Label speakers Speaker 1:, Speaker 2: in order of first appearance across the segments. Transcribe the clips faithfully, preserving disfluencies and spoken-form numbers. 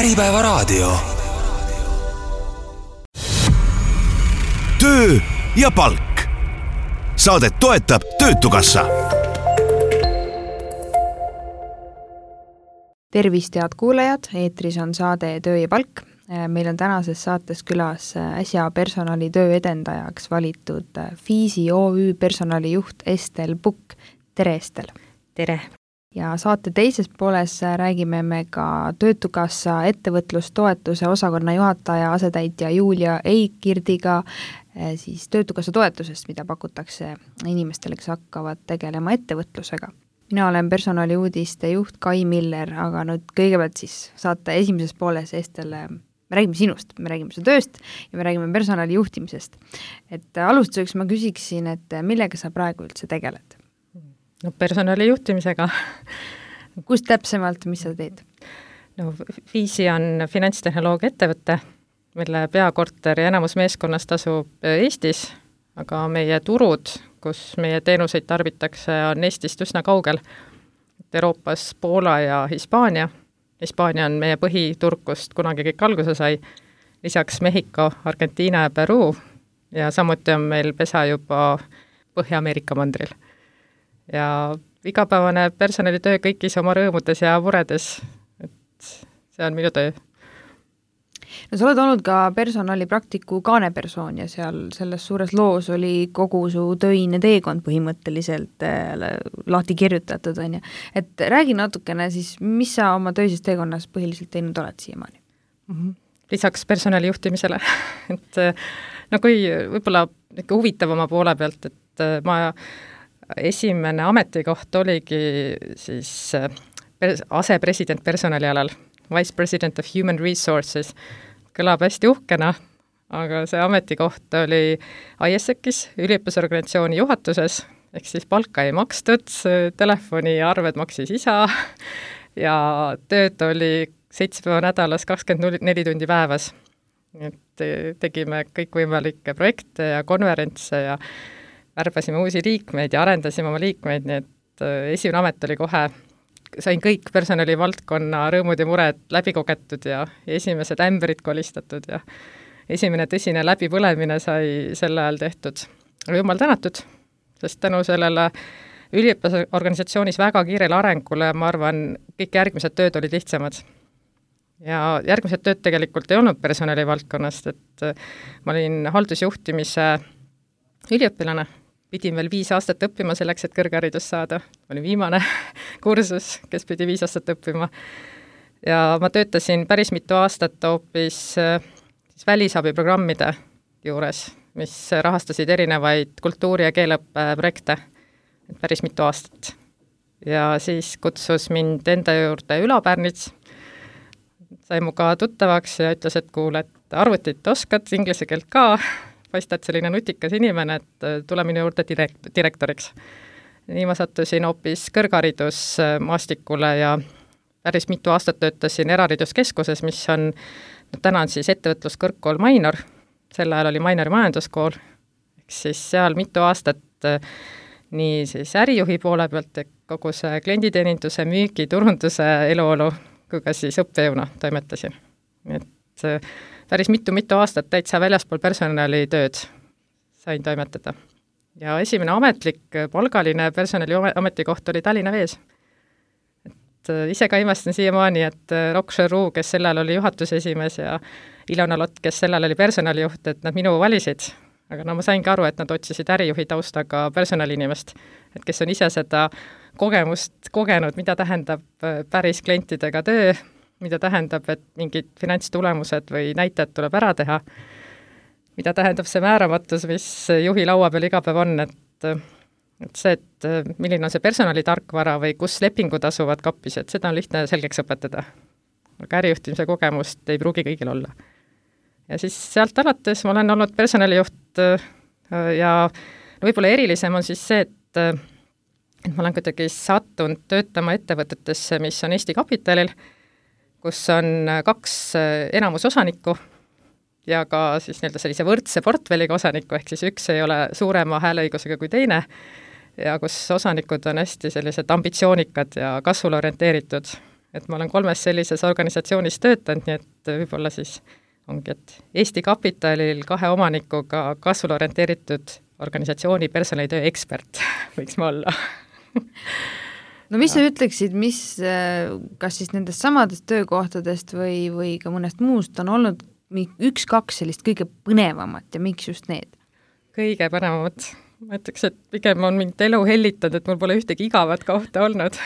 Speaker 1: Äripäevaraadio. Töö ja palk. Saadet toetab Töötukassa.
Speaker 2: Tervist, head kuulajad, eetris on saade Töö ja palk. Meil on tänases saates külas äsja personali töö edendajaks valitud Fiisi O Ü personalijuht Estel Pukk. Tere, Estel!
Speaker 3: Tere!
Speaker 2: Ja saate teises pooles räägime me ka Töötukassa ettevõtlustoetuse osakonna juhataja asetäitja Julia Eikirdiga siis Töötukassa toetusest, mida pakutakse inimestele, kes hakkavad tegelema ettevõtlusega. Mina olen personaliuudiste juht Kai Miller, aga nüüd kõigepealt siis saate esimeses pooles Estelle, me räägime sinust, me räägime su tööst ja me räägime personali juhtimisest. Et alustuseks ma küsiksin, et millega sa praegu üldse tegeled?
Speaker 3: No personali juhtimisega.
Speaker 2: Kus täpsemalt, mis sa teed?
Speaker 3: No Fiisi on finantstehnoloogia ettevõte, mille peakorter ja enamus meeskonnast asub Eestis, aga meie turud, kus meie teenuseid tarbitakse, on Eestist üsna kaugel. Euroopas Poola ja Hispaania. Hispaania on meie põhiturg, kust kunagi kõik alguse sai. Lisaks Mehhiko, Argentiina ja Peruu ja samuti on meil pesa juba Põhja-Ameerika mandril. Ja igapäevane personalitöö kõigis oma rõõmudes ja muredes, et see on minu töö.
Speaker 2: No sa oled olnud ka personalipraktiku kaanepersoon ja seal selles suures loos oli kogu su töine teekond põhimõtteliselt lahti kirjutatud. On ja. Et räägi natukene siis, mis sa oma töises teekonnas põhiliselt teinud oled siiamaani?
Speaker 3: Mm-hmm. Lisaks personali juhtimisele. et, no kui võib-olla huvitavama poole pealt, et ma esimene ametikoht oligi siis asepresident personalialal, Vice President of Human Resources. Kõlab hästi uhkena, aga see ametikoht oli I S E C-is, üliõpilasorganisatsiooni juhatuses, ehk siis palka ei makstud, telefoni ja arved maksis isa ja tööd oli seitse päeva nädalas, kakskümmend neli tundi päevas. Et tegime kõikvõimalikke projekte ja konverentse ja värbasime uusi liikmeid ja arendasime oma liikmeid, nii et esimene amet oli kohe, sain kõik personali valdkonna rõõmud ja mured läbi kogetud ja esimesed ämbrid kolistatud ja esimene tõsine läbipõlemine sai sel ajal tehtud. Jumal tänatud, sest tänu sellele üliõpilasorganisatsioonis väga kiirele arengule, ma arvan, kõik järgmised tööd olid lihtsamad. Ja järgmised tööd tegelikult ei olnud personali valdkonnast, et ma olin haldusjuhtimise üliõpilane, pidin veel viis aastat õppima selleks, et kõrgharidust saada. Oli viimane kursus, kes pidi viis aastat õppima. Ja ma töötasin päris mitu aastat hoopis siis välisabiprogrammide juures, mis rahastasid erinevaid kultuuri- ja keeleõppe projekte. Päris mitu aastat. Ja siis kutsus mind enda juurde Ülo Pärnits. Sai mu ka tuttavaks ja ütles, et kuule, et arvutit oskad, inglise keelt ka. Paistad selline nutikas inimene, et tule minu juurde direkt, direktoriks. Nii ma sattusin hoopis kõrgharidusmaastikule ja päris mitu aastat töötasin erahariduskeskuses, mis on, no täna on siis ettevõtluskõrgkool Mainor, sel ajal oli Mainori majanduskool, eks siis seal mitu aastat nii siis ärijuhi poole pealt, kogu see klienditeeninduse, müügi, turunduse eluolu, kui ka siis õppejõuna toimetasin. Et päris mitu-mitu aastat täitsa väljaspool personali tööd sain toimetada. Ja esimene ametlik palgaline personali ametikoht oli Tallinna Vees. Et ise ka imestan siiamaani, et Rock Cheru, kes sellel oli juhatuse esimees ja Ilona Lott, kes sellel oli personalijuht, et nad minu valisid. Aga no ma saingi aru, et nad otsisid ärijuhi taustaga personaliinimest, et kes on ise seda kogemust kogenud, mida tähendab päris klientidega töö, mida tähendab, et mingid finantstulemused või näitajad tuleb ära teha, mida tähendab see määramatus, mis juhi laua peal iga päev on, et, et see, et milline on see personalitarkvara või kus lepingud asuvad kappis, et seda on lihtne selgeks õpetada. Aga ärijuhtimise kogemust ei pruugi kõigil olla. Ja siis sealt alates ma olen olnud personalijuht ja võib-olla erilisem on siis see, et, et ma olen kuidagi sattunud töötama ettevõtetesse, mis on Eesti Kapitalil, kus on kaks enamusosanikku ja ka siis nii-öelda sellise võrdse portfelliga osaniku, ehk siis üks ei ole suurema hääleõigusega kui teine ja kus osanikud on hästi sellised ambitsioonikad ja kasvule orienteeritud. et ma olen kolmes sellises organisatsioonis töötanud, nii et võib-olla siis ongi, et Eesti Kapitalil kahe omanikuga kasvule orienteeritud organisatsiooni personalitöö ekspert võiks ma olla.
Speaker 2: No mis sa ütleksid, mis, kas siis nendest samadest töökohtadest või, või ka mõnest muust on olnud üks-kaks sellist kõige põnevamat ja miks just need?
Speaker 3: Kõige põnevamat. Ma ütleks, et pigem on mind elu hellitanud, et mul pole ühtegi igavat kohta olnud.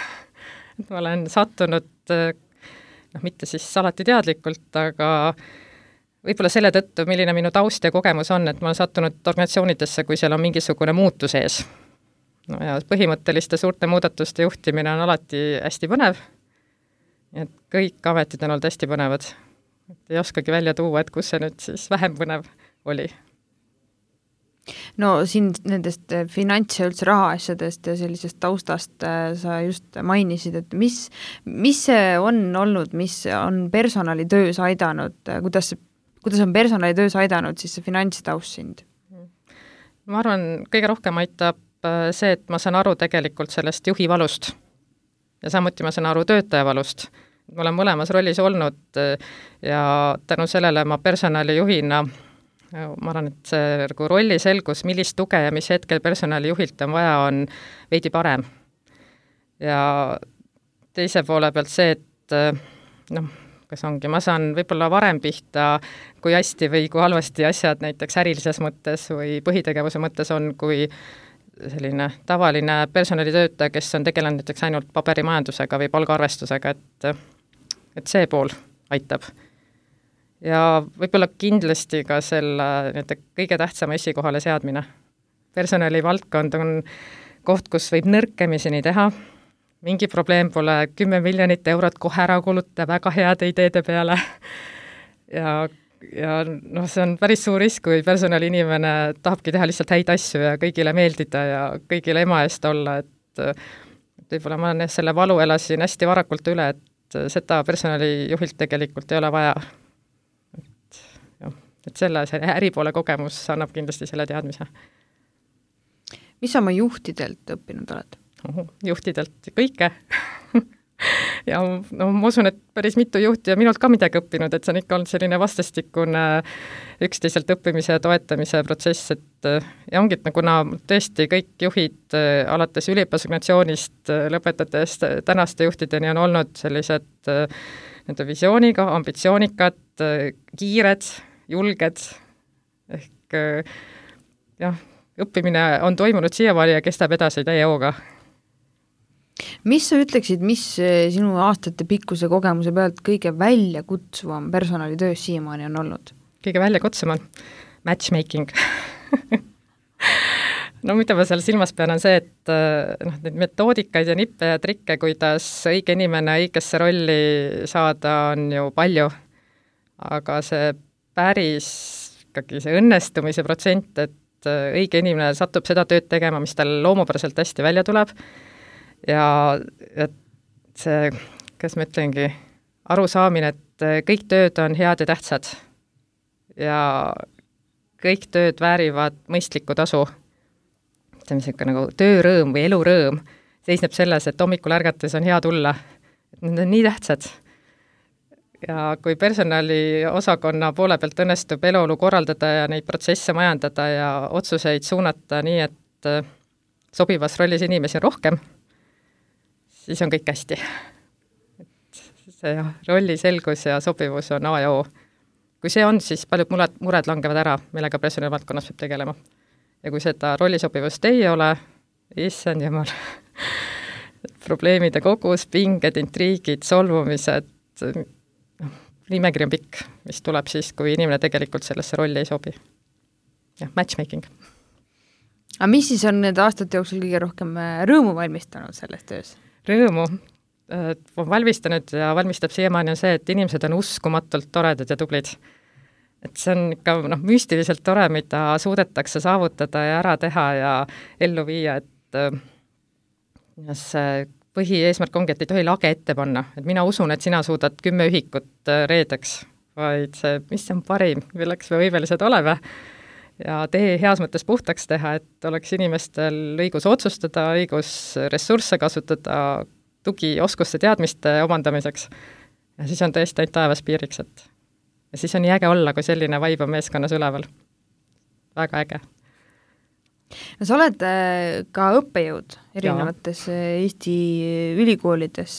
Speaker 3: Et ma olen sattunud, noh, mitte siis alati teadlikult, aga võib-olla selle tõttu, milline minu taust ja kogemus on, et ma olen sattunud organisatsioonidesse, kui seal on mingisugune muutus ees. No ja põhimõtteliste suurte muudatuste juhtimine on alati hästi põnev. Et kõik ametid on olnud hästi põnevad. Et ei oskagi välja tuua, et kus see nüüd siis vähem põnev oli.
Speaker 2: No siin nendest finants- ja üldse rahaasjadest ja sellisest taustast sa just mainisid, et mis, mis see on olnud, mis on personalitöös aidanud, kuidas, kuidas on personalitöös aidanud siis see finantstaust sind?
Speaker 3: Ma arvan, kõige rohkem aitab see, et ma saan aru tegelikult sellest juhi valust ja samuti ma saan aru töötaja valust. Ma olen mõlemas rollis olnud ja tänu sellele ma personalijuhina, ma arvan, et see nagu rolli selgus, millist tuge ja mis hetkel personalijuhilt on vaja, on veidi parem. Ja teise poole pealt see, et noh, kas ongi, ma saan võib-olla varem pihta, kui hästi või kui halvasti asjad näiteks ärilises mõttes või põhitegevuse mõttes on, kui selline tavaline personalitöötaja, kes on tegelenud näiteks ainult paberimajandusega või palgaarvestusega, et, et see pool aitab. Ja võib-olla kindlasti ka selle kõige tähtsama esikohale seadmine. Personalivaldkond on koht, kus võib nõrkemiseni teha, mingi probleem pole kümme miljonit eurot kohe ära kuluta väga heade ideede peale ja ja noh, see on päris suur risk, kui personaliinimene tahabki teha lihtsalt häid asju ja kõigile meeldida ja kõigile ema eest olla, et võib-olla ma selle valu elasin hästi varakult üle, et seda personalijuhilt tegelikult ei ole vaja. Et, jah, et selle see äripoole kogemus annab kindlasti selle teadmise.
Speaker 2: Mis sa oma juhtidelt õppinud oled?
Speaker 3: Oh, juhtidelt kõike. Ja no, ma usun, et päris mitu juhti ja minult ka midagi õppinud, et see on ikka olnud selline vastastikune üksteiselt õppimise ja toetamise protsess, et ja ongi, et kuna tõesti kõik juhid alates üliõpilasorganisatsioonist lõpetades tänaste juhtideni on olnud sellised nende visiooniga, ambitsioonikad, kiired, julged, ehk jah, õppimine on toimunud siiamaani ja kestab edasi täie hooga.
Speaker 2: Mis sa ütleksid, mis sinu aastate pikkuse kogemuse pealt kõige väljakutsuvam personalitöös siiamaani on olnud?
Speaker 3: Kõige väljakutsuvam? Matchmaking. No mida ma seal silmas pean on see, et noh, neid metoodikaid ja nippe ja trikke, kuidas õige inimene õigesse rolli saada, on ju palju. Aga see päris ikkagi see õnnestumise protsent, et õige inimene satub seda tööd tegema, mis tal loomupäraselt hästi välja tuleb, ja et see, kas ma ütlengi, arusaamine, et kõik tööd on head ja tähtsad ja kõik tööd väärivad mõistlikku tasu. See on selline nagu töörõõm või elurõõm seisneb selles, et hommikul ärgates on hea tulla. Et need on nii tähtsad. Ja kui personali osakonna poole pealt õnnestub eluolu korraldada ja neid protsesse majandada ja otsuseid suunata nii, et sobivas rollis inimesi on rohkem, siis on kõik hästi. Et see jah, rolli selgus ja sobivus on A ja O. Kui see on, siis paljud mured, mured langevad ära, millega personali valdkonnas peab tegelema. Ja kui seda rollisobivust ei ole, issand jumal, probleemide kogus, pinged, intriigid, solvumised, nimekiri on pikk, mis tuleb siis, kui inimene tegelikult sellesse rolli ei sobi. Jah, matchmaking.
Speaker 2: Aga mis siis on need aastate jooksul kõige rohkem rõõmu valmistanud selles töös?
Speaker 3: Rõõmu on valmistanud ja valmistab siiamaani on see, et inimesed on uskumatult toredad ja tublid. Et see on ikka noh, müstiliselt tore, mida suudetakse saavutada ja ära teha ja ellu viia, et see põhieesmärk ongi, et ei tohi lage ette panna. Et mina usun, et sina suudad kümme ühikut reedeks, vaid see, mis on parim, milleks me võimelised oleme. Ja tee heas mõttes puhtaks teha, et oleks inimestel õigus otsustada, õigus ressursse kasutada, tugioskuste teadmiste omandamiseks. Ja siis on tõesti ainult taevas piiriks, et ja siis on nii äge olla, kui selline vibe on meeskonnas üleval. Väga äge.
Speaker 2: No sa oled ka õppejõud erinevates ja. Eesti ülikoolides.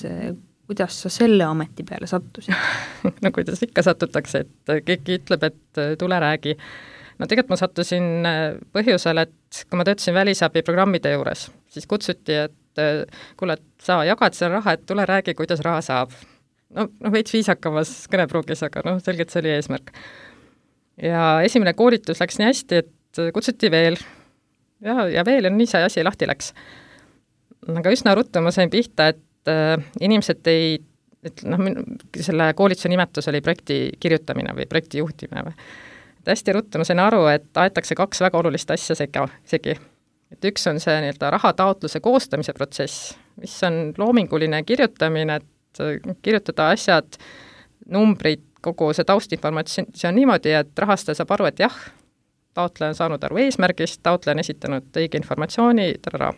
Speaker 2: Kuidas sa selle ameti peale sattusid?
Speaker 3: No kuidas ikka satutakse, et keegi ütleb, et tule räägi. No tegelikult ma sattusin põhjusel, et kui ma töötasin välisabi programmide juures, siis kutsuti, et kuule, et sa jagad selle raha, et tule räägi, kuidas raha saab. No, no veits viisakamas kõnepruugis, aga noh, selgelt see oli eesmärk. Ja esimene koolitus läks nii hästi, et kutsuti veel ja, ja veel ja nii see asi lahti läks. Aga üsna ruttu ma sain pihta, et äh, inimesed ei, et noh, selle koolituse nimetus oli projekti kirjutamine või projekti juhtimine või. Et hästi ruttu ma sain aru, et aetakse kaks väga olulist asja sega, segi. Et üks on see nii-öelda rahataotluse koostamise protsess, mis on loominguline kirjutamine, et kirjutada asjad, numbrid, kogu see taustinformatsioon niimoodi, et rahastaja saab aru, et jah, taotleja on saanud aru eesmärgist, taotleja on esitanud õige informatsiooni, tarara.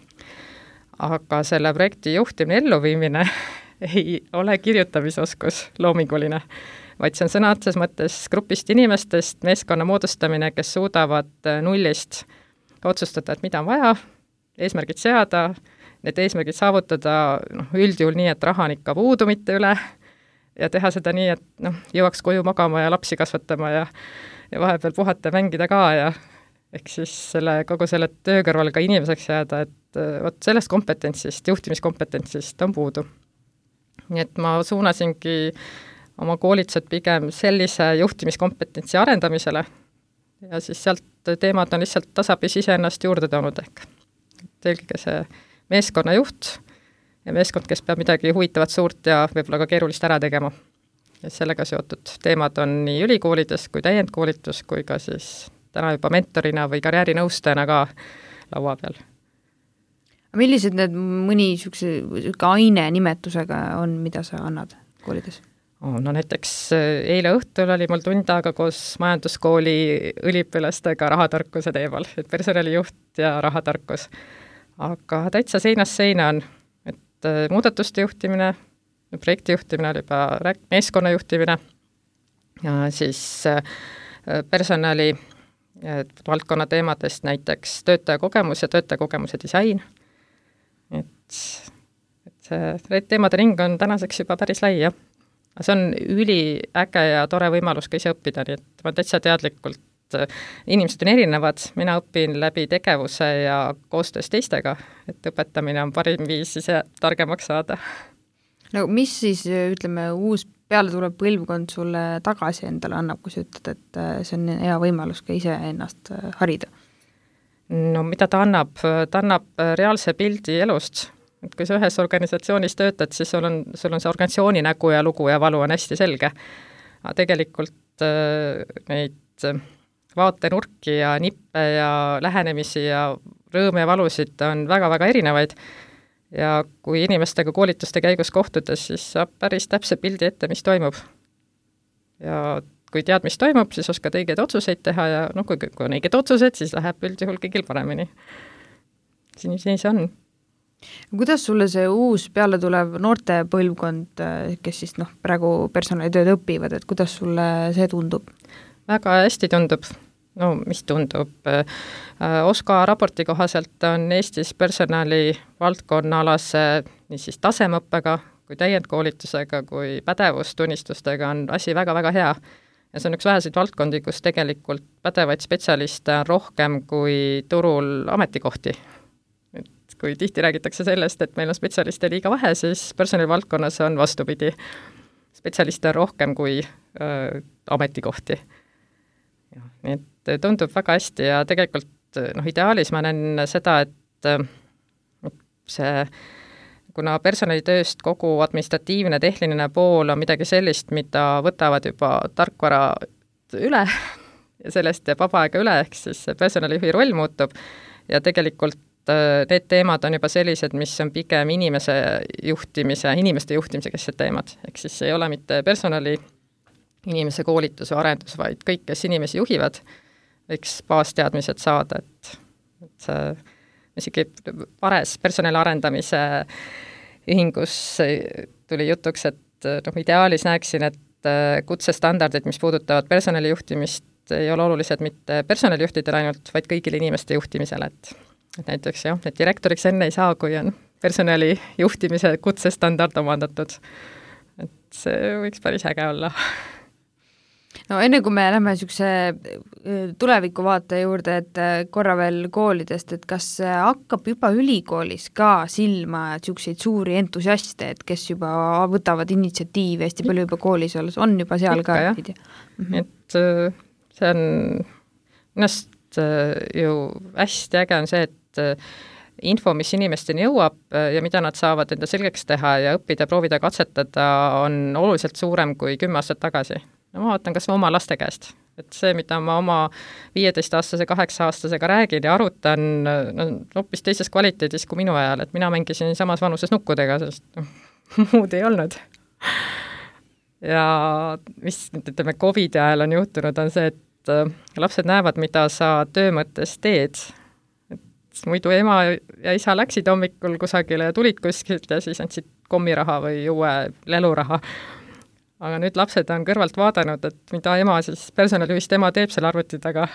Speaker 3: Aga selle projekti juhtimine elluviimine ei ole kirjutamisoskus loominguline, vaid see on sõna otses mõttes grupist inimestest, meeskonna moodustamine, kes suudavad nullist otsustada, et mida on vaja, eesmärgid seada, need eesmärgid saavutada noh, üldjuhul nii, et raha on ikka puudu mitte üle ja teha seda nii, et noh, jõuaks koju magama ja lapsi kasvatama ja, ja vahepeal puhata ja mängida ka ja ehk siis selle, kogu selle töö kõrval ka inimeseks jääda, et vot sellest kompetentsist, juhtimiskompetentsist on puudu. Nii et ma suunasingi oma koolitused pigem sellise juhtimiskompetentsi arendamisele ja siis sealt teemad on lihtsalt tasapisi iseennast juurde toonud ehk. Eelkõige see meeskonnajuht ja meeskond, kes peab midagi huvitavat suurt ja võib-olla ka keerulist ära tegema. Ja sellega seotud teemad on nii ülikoolides kui täiendkoolitus kui ka siis täna juba mentorina või karjäärinõustajana ka laua peal.
Speaker 2: Millised need mõni niisuguse aine nimetusega on, mida sa annad koolides?
Speaker 3: Oh, no näiteks eile õhtul oli mul tund aega koos majanduskooli üliõpilastega rahatarkuse teemal, et personalijuht ja rahatarkus. Aga täitsa seinast seina on, et muudatuste juhtimine, projekti juhtimine oli juba meeskonna juhtimine ja siis personali valdkonna teemadest näiteks töötaja kogemus ja töötaja kogemuse disain. Et, et see teemade ring on tänaseks juba päris lai, jah. See on üliäge ja tore võimalus ka ise õppida, nii et ma täitsa teadlikult, inimesed on erinevad, mina õpin läbi tegevuse ja koostöös teistega, et õpetamine on parim viis ise targemaks saada.
Speaker 2: No mis siis, ütleme, uus peale tuleb põlvkond sulle tagasi endale annab, kui sa ütled, et see on hea võimalus ka ise ennast harida?
Speaker 3: No mida ta annab? Ta annab reaalse pildi elust. Et kui sa ühes organisatsioonis töötad, siis sul on, sul on see organisatsiooni nägu ja lugu ja valu on hästi selge. Aga tegelikult neid vaatenurki ja nippe ja lähenemisi ja rõõme ja valusid on väga-väga erinevaid. Ja kui inimestega koolituste käigus kohtudes, siis saab päris täpse pildi ette, mis toimub. Ja kui tead, mis toimub, siis oskad õigeid otsuseid teha ja no, kui, kui on õiged otsused, siis läheb üldjuhul kõigil paremini. Siin, siin see on.
Speaker 2: Kuidas sulle see uus peale tulev noorte põlvkond, kes siis noh, praegu personalitööd õpivad, et kuidas sulle see tundub?
Speaker 3: Väga hästi tundub. No mis tundub? Oska raporti kohaselt on Eestis personali valdkonnaalase nii siis tasemõppega kui täiendkoolitusega kui pädevustunnistustega on asi väga-väga hea. Ja see on üks väheseid valdkondi, kus tegelikult pädevaid spetsialiste on rohkem kui turul ametikohti. Et kui tihti räägitakse sellest, et meil on spetsialiste liiga vähe, siis personalivaldkonnas on vastupidi. Spetsialiste on rohkem kui äh, ametikohti. Ja, nii et tundub väga hästi ja tegelikult noh, ideaalis ma näen seda, et see, kuna personalitööst kogu administratiivne, tehniline pool on midagi sellist, mida võtavad juba tarkvara üle ja sellest jääb vaba aega üle, ehk siis personalijuhi roll muutub ja tegelikult need teemad on juba sellised, mis on pigem inimese juhtimise, inimeste juhtimise kesed teemad, ehk siis ei ole mitte personali inimese koolitus või arendus, vaid kõik, kes inimesi juhivad, võiks baasteadmised saada, et, et see isegi pares personali arendamise ühingus tuli jutuks, et noh, ideaalis näeksin, et kutsestandardid, mis puudutavad personalijuhtimist, ei ole olulised mitte personalijuhtidele ainult, vaid kõigile inimeste juhtimisele, et, et näiteks jah, et direktoriks enne ei saa, kui on personalijuhtimise kutsestandard omandatud. Et see võiks päris äge olla.
Speaker 2: No enne kui me lähme niisuguse tulevikuvaate juurde, et korra veel koolidest, et kas hakkab juba ülikoolis ka silma niisuguseid suuri entusiaste, et kes juba võtavad initsiatiivi hästi palju juba koolis olles, on juba seal
Speaker 3: Ikka,
Speaker 2: ka?
Speaker 3: Mm-hmm. Et see on ennast ju hästi äge on see, et info, mis inimesteni jõuab ja mida nad saavad enda selgeks teha ja õppida, proovida, katsetada, on oluliselt suurem kui kümme aastat tagasi. No ma vaatan kas oma laste käest, et see, mida ma oma viieteistaastase, kaheksa-aastasega räägin ja arutan, no, hoopis teises kvaliteedis kui minu ajal, et mina mängisin samas vanuses nukkudega, sest no, muud ei olnud. Ja mis, ütleme, Covidi ajal on juhtunud, on see, et lapsed näevad, mida sa töö mõttes teed. Et muidu ema ja isa läksid hommikul kusagile ja tulid kuskilt ja siis andsid kommiraha või uue leluraha. Aga nüüd lapsed on kõrvalt vaadanud, et mida ema siis personalijuhist ema teeb seal arvuti taga.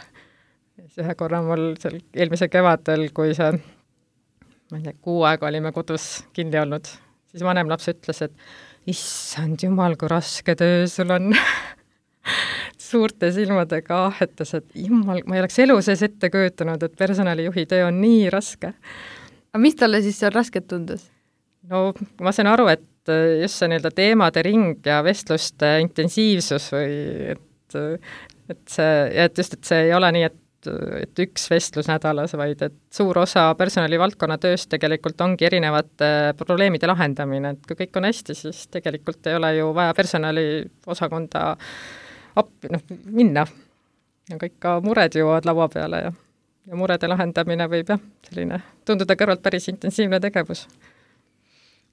Speaker 3: Ühe korra mul seal eelmise kevadel, kui see, ma ei tea, kuu aega olime kodus kinni olnud, siis vanem laps ütles, et issand jumal, kui raske töö sul on. Suurte silmadega ahetas, et jumal, ma ei oleks elu sees ette kujutanud, et personalijuhi töö on nii raske.
Speaker 2: Aga mis talle siis seal rasket tundus?
Speaker 3: No ma sain aru, et just see nii-öelda teemade ring ja vestluste intensiivsus või et, et see, ja et just, et see ei ole nii, et, et üks vestlus nädalas, vaid et suur osa personalivaldkonna tööst tegelikult ongi erinevate probleemide lahendamine, et kui kõik on hästi, siis tegelikult ei ole ju vaja personaliosakonda appi, noh, minna. Ja kõik ka mured jõuavad laua peale ja, ja murede lahendamine võib jah, selline tunduda kõrvalt päris intensiivne tegevus.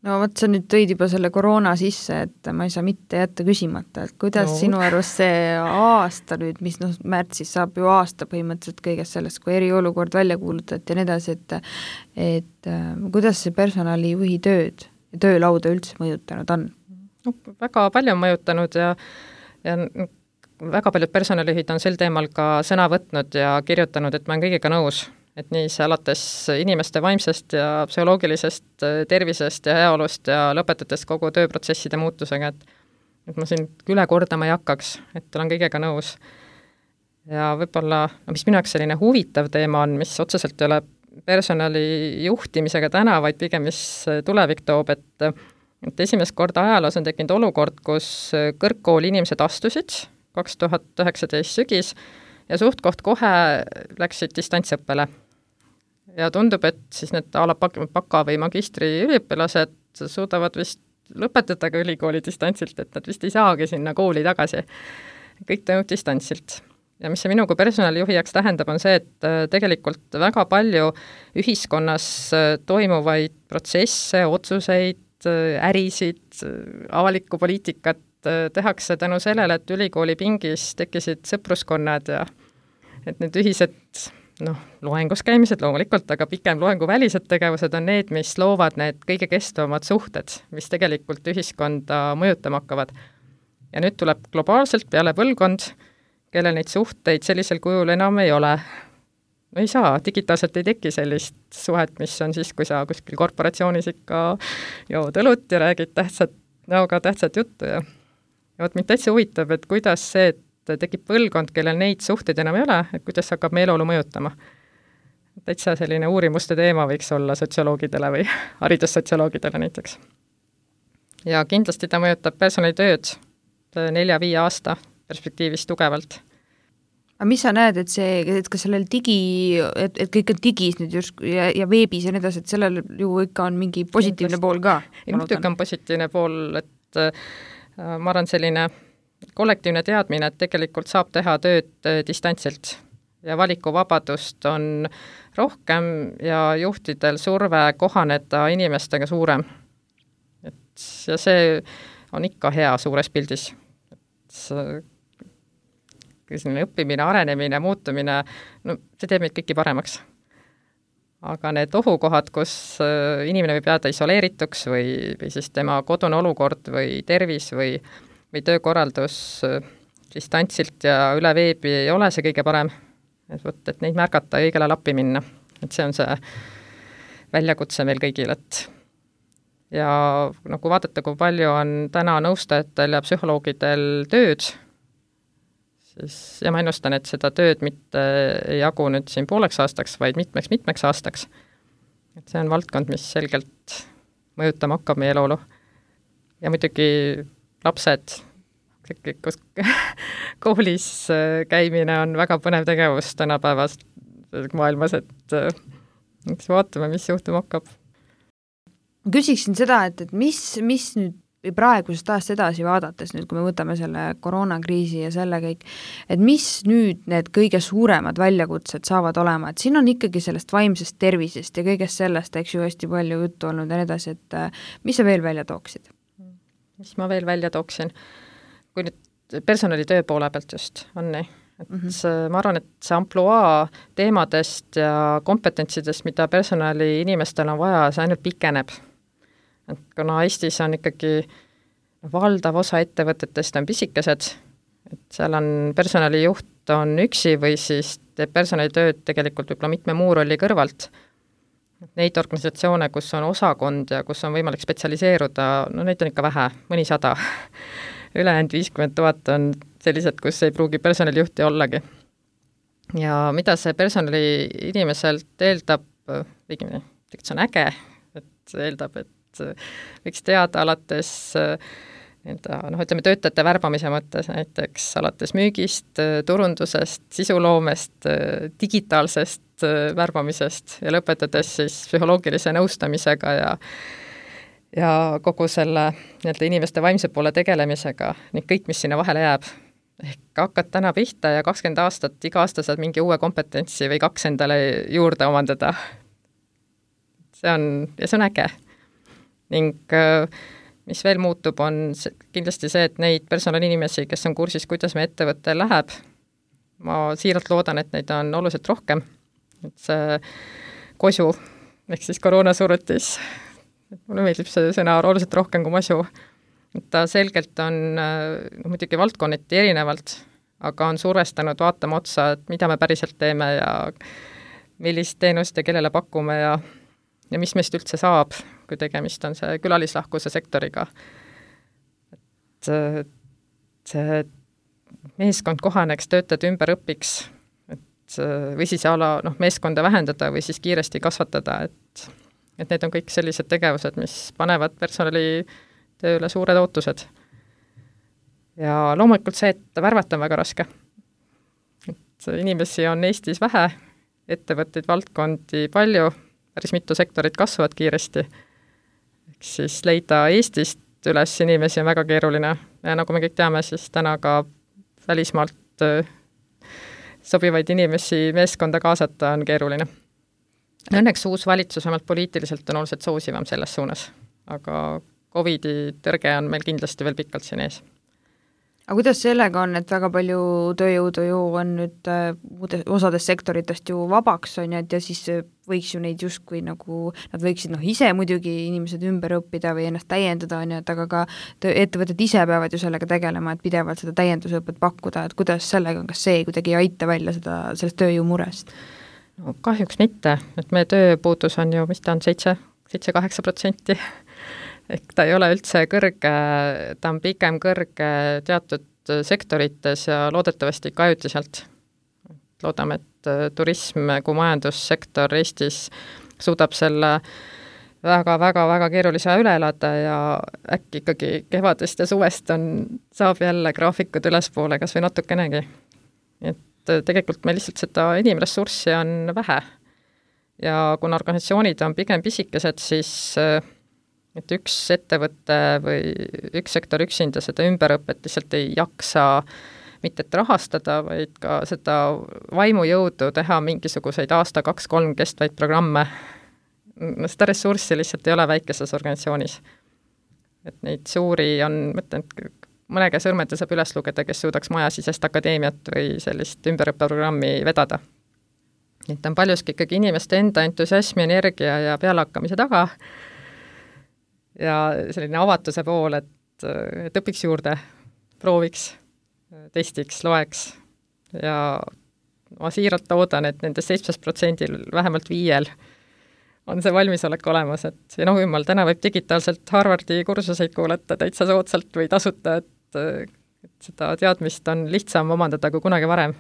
Speaker 2: No vot, sa nüüd tõid juba selle koroona sisse, et ma ei saa mitte jätta küsimata, et kuidas no. sinu arvast see aasta nüüd, mis noh, märtsis saab ju aasta põhimõtteliselt kõigest sellest, kui eriolukord välja kuulutati ja nii edasi, et, et kuidas see personalijuhi tööd ja töölauda üldse mõjutanud on?
Speaker 3: No, väga palju on mõjutanud ja, ja väga paljud personalijuhid on sel teemal ka sõna võtnud ja kirjutanud, et ma olen kõigega nõus. Et nii see alates inimeste vaimsest ja psühholoogilisest tervisest ja heaolust ja lõpetades kogu tööprotsesside muutusega, et, et ma siin üle kordama ei hakkaks, et olen kõigega nõus. Ja võib-olla, no mis minu jaoks selline huvitav teema on, mis otseselt ei ole personali juhtimisega täna, vaid pigem mis tulevik toob, et, et esimest korda ajaloos on tekkinud olukord, kus kõrgkooli inimesed astusid kaks tuhat üheksateist sügis ja suhtkoht kohe läksid distantsõppele. Ja tundub, et siis need ala baka või magistri üliõpilased suudavad vist lõpetada ka ülikooli distantsilt, et nad vist ei saagi sinna kooli tagasi. Kõik toimub distantsilt. Ja mis see minu kui personalijuhi jaoks tähendab, on see, et tegelikult väga palju ühiskonnas toimuvaid protsesse, otsuseid, ärisid, avalikku poliitikat tehakse tänu sellele, et ülikooli pingis tekkisid sõpruskonnad ja et need ühised noh, loengus käimised loomulikult, aga pikem loenguvälised tegevused on need, mis loovad need kõige kestvamad suhted, mis tegelikult ühiskonda mõjutama hakkavad. Ja nüüd tuleb globaalselt peale põlvkond, kellel neid suhteid sellisel kujul enam ei ole. No ei saa, digitaalselt ei teki sellist suhet, mis on siis, kui sa kuskil korporatsioonis ikka jood õlut ja räägid tähtsat, näoga tähtsat juttu ja ja vot mind täitsa huvitab, et kuidas see, et tekib põlvkond, kellel neid suhteid enam ei ole, et kuidas hakkab meeleolu mõjutama. Täitsa selline uurimuste teema võiks olla sotsioloogidele või haridussotsioloogidele näiteks. Ja kindlasti ta mõjutab personalitööd nelja-viie aasta perspektiivis tugevalt.
Speaker 2: Aga mis sa näed, et see, et kas sellel digi, et, et kõik on digis nüüd just ja, ja veebis ja nii edasi, et sellel ju ikka on mingi positiivne pool ka?
Speaker 3: Muidugi on positiivne pool, et ma arvan selline kollektiivne teadmine, et tegelikult saab teha tööd distantsilt ja valikuvabadust on rohkem ja juhtidel surve kohaneda inimestega suurem. Et, ja see on ikka hea suures pildis. Et õppimine, arenemine, muutumine, no see teeb meid kõiki paremaks. aga need ohukohad, kus inimene võib jääda isoleerituks või, või siis tema kodune olukord või tervis või, või töökorraldus distantsilt ja üle veebi ei ole see kõige parem, et võt, et neid märgata ja õigele lappi minna. Et see on see väljakutse meil kõigil, et ja no kui vaadata, kui palju on täna nõustajatel ja psühholoogidel tööd, siis ja ma ennustan, et seda tööd mitte ei jagu nüüd siin pooleks aastaks, vaid mitmeks-mitmeks aastaks. Et see on valdkond, mis selgelt mõjutama hakkab meie eluolu. Ja muidugi lapsed, kus koolis käimine on väga põnev tegevus tänapäevas maailmas, et eks vaatame, mis juhtuma hakkab.
Speaker 2: Ma küsiksin seda, et, et mis, mis nüüd praegusest aastast edasi vaadates, nüüd kui me võtame selle koroonakriisi ja selle kõik, et mis nüüd need kõige suuremad väljakutsed saavad olema, et siin on ikkagi sellest vaimsest tervisest ja kõigest sellest, eks ju, hästi palju juttu olnud ja nii edasi, et mis sa veel välja tooksid?
Speaker 3: Mis ma veel välja tooksin? Kui nüüd personalitöö poole pealt just on nii, et mm -hmm. ma arvan, et see ampluaa teemadest ja kompetentsidest, mida personali inimestel on vaja, see ainult pikeneb. Et kuna Eestis on ikkagi valdav osa ettevõtetest on pisikesed, et seal on personalijuht on üksi või siis teeb personalitööd tegelikult võib-olla mitme muu rolli kõrvalt. Neid organisatsioone, kus on osakond ja kus on võimalik spetsialiseeruda, no neid on ikka vähe, mõni sada. Ülejäänud viiskümmend tuhat on sellised, kus ei pruugi personalijuhti ollagi. Ja mida see personali inimeselt eeldab, õigemini, see on äge, et eeldab, et võiks teada alates noh, ütleme töötajate värbamise mõttes näiteks alates müügist, turundusest, sisuloomest, digitaalsest värbamisest ja lõpetades siis psühholoogilise nõustamisega ja ja kogu selle nii-öelda inimeste vaimse poole tegelemisega, nii kõik, mis sinna vahele jääb. Ehk hakkad täna pihta ja kakskümmend aastat, iga aasta saad mingi uue kompetentsi või kaks endale juurde omandada. See on, ja see on äge. Ning mis veel muutub, on kindlasti see, et neid personalinimesi, kes on kursis, kuidas me ettevõte läheb, ma siiralt loodan, et neid on oluliselt rohkem. Et see kosu, ehk siis koroonasurutis, mulle meeldib see sõna oluliselt rohkem kui masu, et ta selgelt on no, muidugi valdkonneti erinevalt, aga on survestanud vaatama otsa, et mida me päriselt teeme ja millist teenust ja kellele pakume ja ja mis meist üldse saab, kui tegemist on see külalislahkuse sektoriga. Et see meeskond kohaneks, töötajad ümber õpiks, et või siis ala noh, meeskonda vähendada või siis kiiresti kasvatada, et, et need on kõik sellised tegevused, mis panevad personali tööle suured ootused. Ja loomulikult see, et värvata on väga raske. Et inimesi on Eestis vähe, ettevõtteid, valdkondi palju, päris mitu sektorit kasvavad kiiresti. Eks siis leida Eestist üles inimesi on väga keeruline. Ja nagu me kõik teame, siis täna ka välismaalt sobivaid inimesi meeskonda kaasata on keeruline. Õnneks uus valitsus omalt poliitiliselt on oluliselt soosivam selles suunas, aga Covidi tõrge on meil kindlasti veel pikalt siin ees.
Speaker 2: Aga kuidas sellega on, et väga palju tööjõudu ju on nüüd äh, osades sektoritest ju vabaks on ja, ja siis võiks ju neid justkui nagu, nad võiksid noh ise muidugi inimesed ümber õppida või ennast täiendada on ja, et aga ka töö, ettevõtted ise peavad ju sellega tegelema, et pidevalt seda täiendusõpet pakkuda, et kuidas sellega on, kas see kuidagi ei aita välja seda, sellest tööjõu murest?
Speaker 3: No kahjuks mitte, et meie tööpuudus on ju, mis ta on, seitse, seitse-kaheksa protsenti. Ehk ta ei ole üldse kõrge, ta on pigem kõrge teatud sektorites ja loodetavasti ka ajutiselt. Loodame, et turism kui majandussektor Eestis suudab selle väga-väga-väga keerulise üle elada ja äkki ikkagi kevadest ja suvest on, saab jälle graafikud ülespoole kas või natukenegi. Et tegelikult meil lihtsalt seda inimressurssi on vähe. Ja kuna organisatsioonid on pigem pisikesed, siis et üks ettevõte või üks sektor üksinda seda ümberõpet lihtsalt ei jaksa mitte et rahastada, vaid ka seda vaimujõudu teha mingisuguseid aasta, kaks, kolm kestvaid programme. No seda ressurssi lihtsalt ei ole väikeses organisatsioonis. Et neid suuri on, mõtlen, mõnega sõrmete saab üles lugeda, kes suudaks majasisest akadeemiat või sellist ümberõppeprogrammi vedada. et on paljuski ikkagi inimeste enda entusiasmi, energia ja pealehakkamise taga ja selline avatuse pool, et, et õpiks juurde, prooviks, testiks, loeks ja ma siiralt loodan, et nendest seitsmest protsendil vähemalt viiel on see valmisolek olemas, et ja noh, jumal, täna võib digitaalselt Harvardi kursuseid kuulata täitsa soodsalt või tasuta, et, et seda teadmist on lihtsam omandada kui kunagi varem.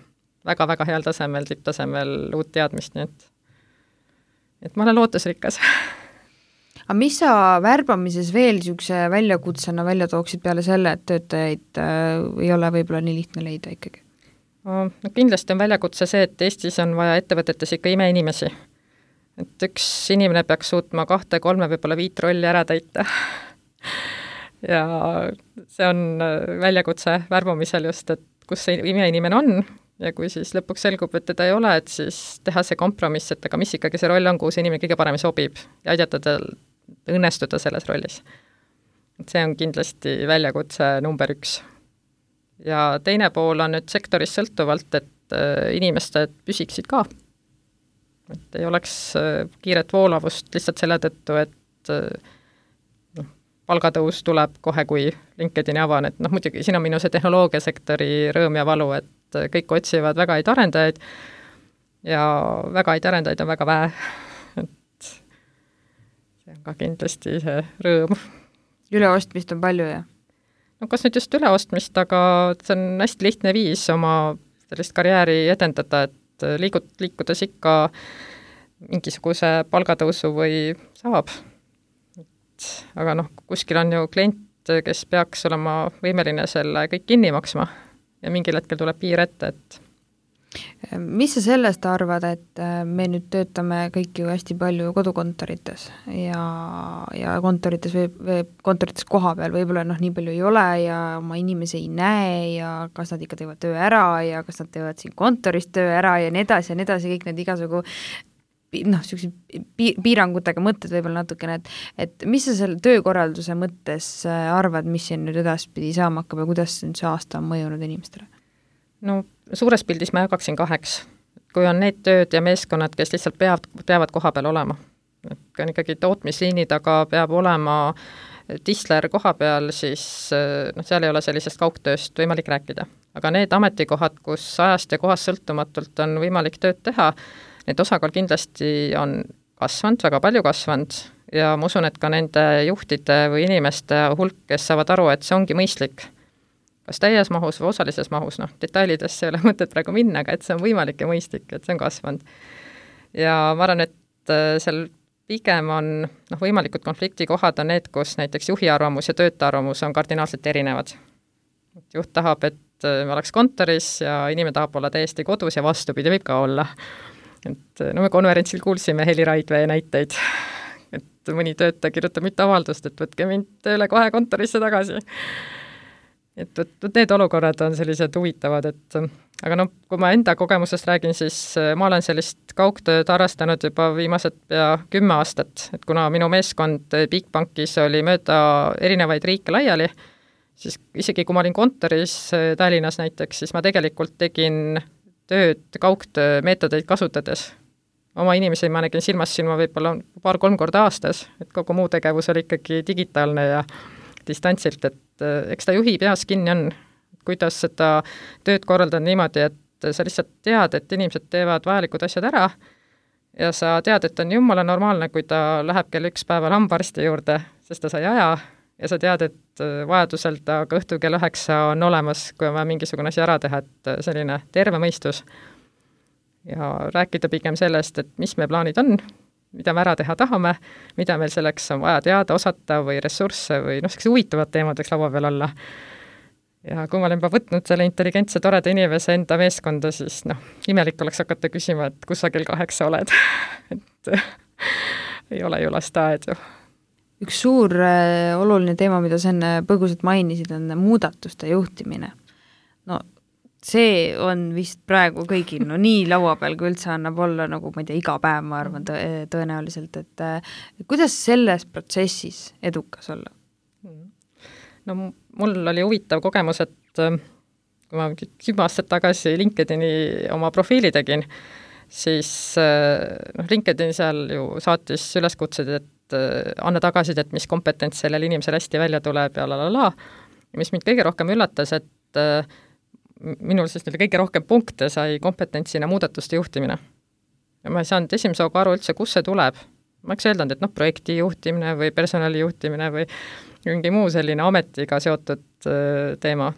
Speaker 3: Väga-väga heal tasemel, tipptasemel uut teadmist, nii et, et ma olen lootusrikas.
Speaker 2: Aga mis sa värbamises veel niisuguse väljakutsena välja tooksid peale selle, et töötajaid äh, ei ole võib-olla nii lihtne leida ikkagi?
Speaker 3: No, kindlasti on väljakutse see, et Eestis on vaja ettevõtetes ikka imeinimesi. Et üks inimene peaks suutma kahte, kolme, võib-olla viit rolli ära täita. ja see on väljakutse värbamisel just, et kus see imeinimene on ja kui siis lõpuks selgub, et teda ei ole, et siis teha see kompromiss, et aga mis ikkagi see roll on, kuhu see inimene kõige paremini sobib ja aidata tal õnnestuda selles rollis. Et see on kindlasti väljakutse number üks. Ja teine pool on nüüd sektoris sõltuvalt, et inimesed püsiksid ka. Et ei oleks kiiret voolavust lihtsalt selle tõttu, et noh, palgatõus tuleb kohe, kui LinkedIni avan, et noh, muidugi siin on minu see tehnoloogiasektori rõõm ja valu, et kõik otsivad väga häid arendajaid ja väga häid arendajaid on väga vähe. Et see on ka kindlasti see rõõm.
Speaker 2: Üleostmist on palju, jah?
Speaker 3: No kas nüüd just üleostmist, aga see on hästi lihtne viis oma sellist karjääri edendada, et liigut, liikudes ikka mingisuguse palgatõusu või saab. Et, aga noh, kuskil on ju klient, kes peaks olema võimeline selle kõik kinni maksma ja mingil hetkel tuleb piir ette, et
Speaker 2: mis sa sellest arvad, et me nüüd töötame kõik ju hästi palju kodukontorites ja, ja kontorites või, või kontorites koha peal võib-olla noh, nii palju ei ole ja oma inimesi ei näe ja kas nad ikka teevad töö ära ja kas nad teevad siin kontoris töö ära ja nii edasi ja nii edasi, kõik need igasugu noh, niisugused piirangutega mõtted võib-olla natukene, et, et mis sa selle töökorralduse mõttes arvad, mis siin nüüd edaspidi saama hakkab ja kuidas nüüd see aasta on mõjunud inimestele?
Speaker 3: No suures pildis ma jagaksin kaheks. Kui on need tööd ja meeskonnad, kes lihtsalt peavad, peavad koha peal olema. Et kui on ikkagi tootmisliini taga peab olema tisler koha peal, siis noh, seal ei ole sellisest kaugtööst võimalik rääkida. Aga need ametikohad, kus ajast ja kohast sõltumatult on võimalik tööd teha, need osakaal kindlasti on kasvanud, väga palju kasvanud ja ma usun, et ka nende juhtide või inimeste hulk, kes saavad aru, et see ongi mõistlik. Kas täies mahus või osalises mahus, noh, detailidesse ei ole mõtet praegu minna, aga et see on võimalik ja mõistlik, et see on kasvanud. Ja ma arvan, et seal pigem on noh, võimalikud konfliktikohad on need, kus näiteks juhi arvamus ja töötaja arvamus on kardinaalselt erinevad. Juht tahab, et me oleks kontoris ja inimene tahab olla täiesti kodus ja vastupidi võib ka olla. Et no me konverentsil kuulsime Heli Raidvee näiteid, et mõni töötaja kirjutab mitu avaldust, et võtke mind tööle kohe kontorisse tagasi. Et, et need olukorrad on sellised huvitavad, et aga noh, kui ma enda kogemusest räägin, siis ma olen sellist kaugtööd harrastanud juba viimased pea kümme aastat, et kuna minu meeskond Bigbankis oli mööda erinevaid riike laiali, siis isegi kui ma olin kontoris Tallinnas näiteks, siis ma tegelikult tegin tööd kaugtöö meetodeid kasutades. Oma inimesi ma nägin silmast silma võib-olla paar-kolm korda aastas, et kogu muu tegevus oli ikkagi digitaalne ja distantsilt, et eks ta juhi peas kinni on, kuidas seda tööd korraldada niimoodi, et sa lihtsalt tead, et inimesed teevad vajalikud asjad ära ja sa tead, et on jumala normaalne, kui ta läheb kell üks päeval hambaarsti juurde, sest ta sai aja ja sa tead, et vajadusel ta ka õhtul kell üheksa on olemas, kui on vaja mingisugune asi ära teha, et selline terve mõistus ja rääkida pigem sellest, et mis me plaanid on, mida me ära teha tahame, mida meil selleks on vaja teada, osata või ressursse või noh, sellised huvitavad teemad võiks laua peal olla. Ja kui ma olen juba võtnud selle intelligentse toreda inimese enda meeskonda, siis noh, imelik oleks hakata küsima, et kus sa kell kaheksa oled. et ei ole ju lasteaed ju.
Speaker 2: Üks suur äh, oluline teema, mida sa enne põgusalt mainisid, on muudatuste juhtimine. No see on vist praegu kõigil no nii laua peal, kui üldse annab olla nagu, ma ei tea, iga päev, ma arvan tõ tõenäoliselt, et kuidas selles protsessis edukas olla?
Speaker 3: No mul oli huvitav kogemus, et kui ma kümme aastat tagasi LinkedIni oma profiili tegin, siis noh, LinkedIn seal ju saatis üleskutsed, et anna tagasisidet, mis kompetents sellel inimesel hästi välja tuleb ja la la la. Ja mis mind kõige rohkem üllatas, et minul siis neil kõige rohkem punkte sai kompetentsina muudatuste juhtimine. Ja ma ei saanud esimese hooga aru üldse, kus see tuleb. Ma oleks öeldanud, et noh, projekti juhtimine või personali juhtimine või mingi muu selline ametiga seotud teema.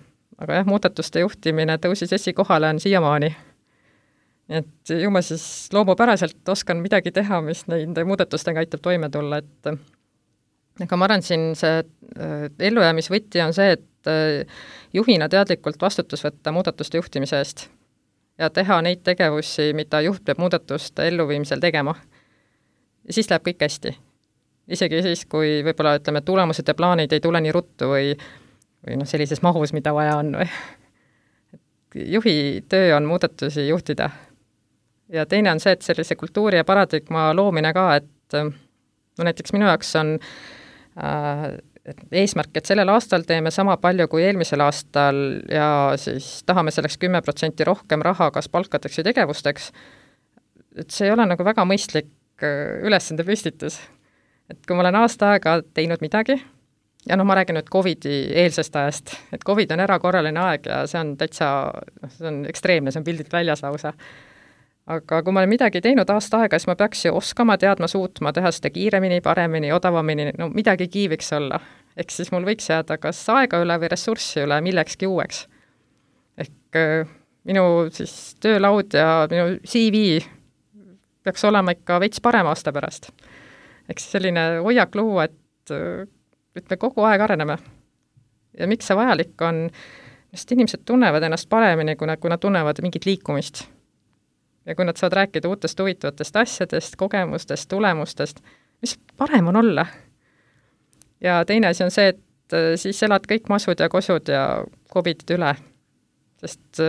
Speaker 3: Aga jah, muudatuste juhtimine tõusis esikohale on siiamaani. Et ju ma siis loomupäraselt oskan midagi teha, mis nende muudatustega aitab toime tulla, et aga ma arvan, siin see ellujäämisvõti on see, et juhina teadlikult vastutus võtta muudatuste juhtimise eest ja teha neid tegevusi, mida juht peab muudatuste elluviimisel tegema. Ja siis läheb kõik hästi. Isegi siis, kui võib-olla ütleme, tulemused ja plaanid ei tule nii ruttu või, või noh, sellises mahus, mida vaja on. Või. Juhi töö on muudatusi juhtida. Ja teine on see, et sellise kultuuri ja paradigma loomine ka, et no näiteks minu jaoks on äh, eesmärk, et sellel aastal teeme sama palju kui eelmisel aastal ja siis tahame selleks kümme protsenti rohkem raha kas palkadeks või tegevusteks. Et see ei ole nagu väga mõistlik ülesande püstitus. Et kui ma olen aasta aega teinud midagi, ja noh, ma räägin nüüd Covidi eelsest ajast, et Covid on erakorraline aeg ja see on täitsa, see on ekstreemne, see on pildilt väljas lausa. Aga kui ma olen midagi teinud aasta aega, siis ma peaks ju oskama, teadma, suutma, teha seda kiiremini, paremini, odavamini, no midagi kiiviks olla. Ehk siis mul võiks jääda kas aega üle või ressurssi üle millekski uueks. Ehk minu siis töölaud ja minu C V peaks olema ikka veits parem aasta pärast. Ehk selline hoiak luua, et, et me kogu aeg areneme. Ja miks see vajalik on, sest inimesed tunnevad ennast paremini, kui nad, kui nad tunnevad mingit liikumist. Ja kui nad saavad rääkida uutest huvitavatest asjadest, kogemustest, tulemustest, mis parem on olla. Ja teine asi on see, et siis elad kõik masud ja kosud ja Covidid üle. Sest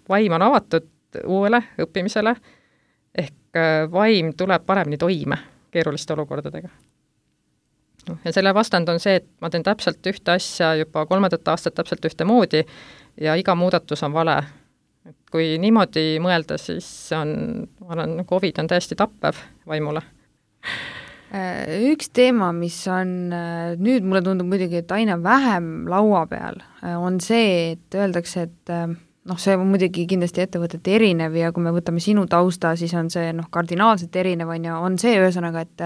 Speaker 3: vaim on avatud uuele õppimisele, ehk vaim tuleb paremini toime keeruliste olukordadega. Ja selle vastand on see, et ma teen täpselt ühte asja juba kolmandat aastat täpselt ühte moodi ja iga muudatus on vale. Et kui niimoodi mõelda, siis on, ma arvan, Covid on täiesti tappev vaimule.
Speaker 2: Üks teema, mis on nüüd mulle tundub muidugi, et aina vähem laua peal, on see, et öeldakse, et noh, see on muidugi kindlasti ettevõtete erinev ja kui me võtame sinu tausta, siis on see noh, kardinaalselt erinev on ja on see ühesõnaga, et,